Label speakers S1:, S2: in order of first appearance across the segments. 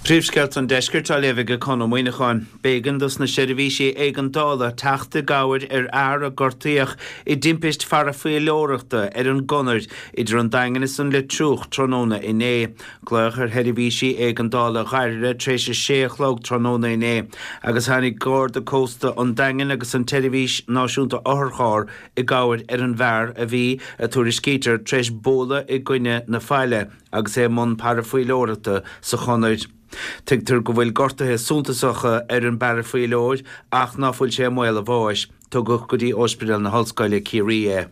S1: Príomhscéalta an Deiscirt á léamh ag Conn Ó Muíneacháin. B'éigean dos na seirbhísí éigeandála teacht i gcabhair ar fhear a gortaíodh i dtimpist pharafaoileoireachta ar an gConair idir an Daingean is an Leitriúch tráthnóna inné. Glaodh ar sheirbhísí éigeandála Dhoire tar éis a sé a chlog tráthnóna inné agus tháinig Garda Cósta an Daingin agus an tSeirbhís Náisiúnta Otharcharr i gcabhair ar an bhfear a bhí, a tuairiscítear, tar éis bualadh i gcoinne na faille. agus é i mbun parafaoileoireachta sa chonair. Tuigtear go bhfuil gortuithe suntasacha ar an bparafaoileoir ach ná fuil sé i mbaol a bháis. Tugadh go dtí Ospidéal na hOllscoile, Ciarraí é.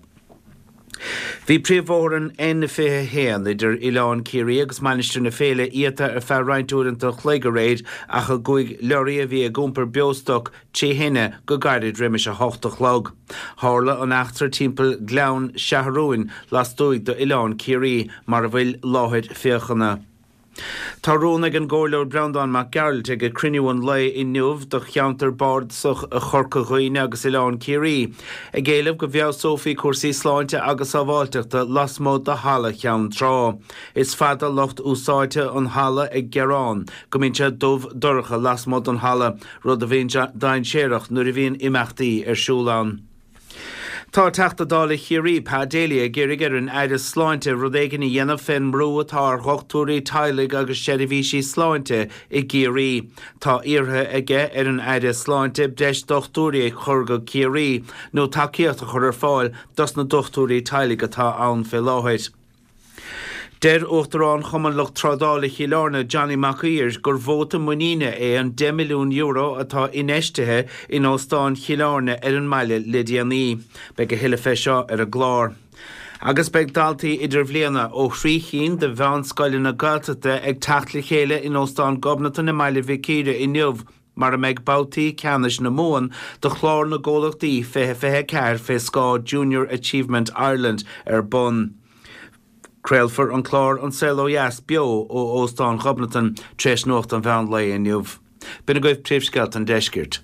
S1: Bhí príomhbhóthar an N21 idir Oileán Ciarraí agus Mainistir na Féile iata ar feadh roinnt uaireanta an chloig aréir ach a gcuaigh leoraí a bhí ag iompar beostoc trí thine go gairid roimis 8 a chlog. Tharla an eachtra timpeall Gleann Seathrúin lastuaidh d'Oileán Ciarraí mar a bhfuil láthair féachana. Tá rún ag an gComhairleoir Breandán Mac Gearailt ag cruinniú an lae inniu do cheantar bardasach Chorca Dhuibhne agus Oileán Ciarraí, ag éileamh go bhfeabhsófaí cúrsaí sláinte agus sábháilteachta lasmuigh de Halla Cheann Trá. Is fada lucht úsáidte an halla ag gearán go mbíonn sé dubh dorcha lasmuigh den halla rud a bhíonn dainséarach nuair a bhíonn imeachtaí ar siúl ann. Tá Teachta Dála Chiarraí, Pa Daly, ag iarraidh ar an Aire Sláinte rud éigin a dhéanamh fén mbrú atá ar dhochtúirí teaghlaigh agus seirbhísí sláinte i gCiarraí. Tá iarrtha aige ar an Aire Sláinte breis dochtúirí a chur go Ciarraí nó tacaíocht a chur ar fáil dos na dochtúirí teaghlaigh atá ann fé láthair. Deir Uachtarán Chumann Lucht Trádála Chill Airne, Johnny Mac Uidhir, gur vóta muiníne é an €10 milliún atá infheistithe in Óstán Chill Airne ar an mbaile le déanaí. Beidh a thuilleadh fé seo ar an gclár. Agus beidh daltaí idirbhliana ó thrí chinn de mheánscoileanna Gaeltachta ag teacht le chéile in Óstán Ghobnatan i mBaile Mhic Íre inniu mar a mbeidh babhtaí ceannais na Mumhan do Chlár na gComhlachtaí 2024 fé scáth Junior Achievement Ireland ar bun. Craolfar an clár An Saol Ó Dheas beo ó Óstán Ghobnatan tar éis nuacht an mheán lae inniu. B'in agaibh príomhscéalta an deiscirt.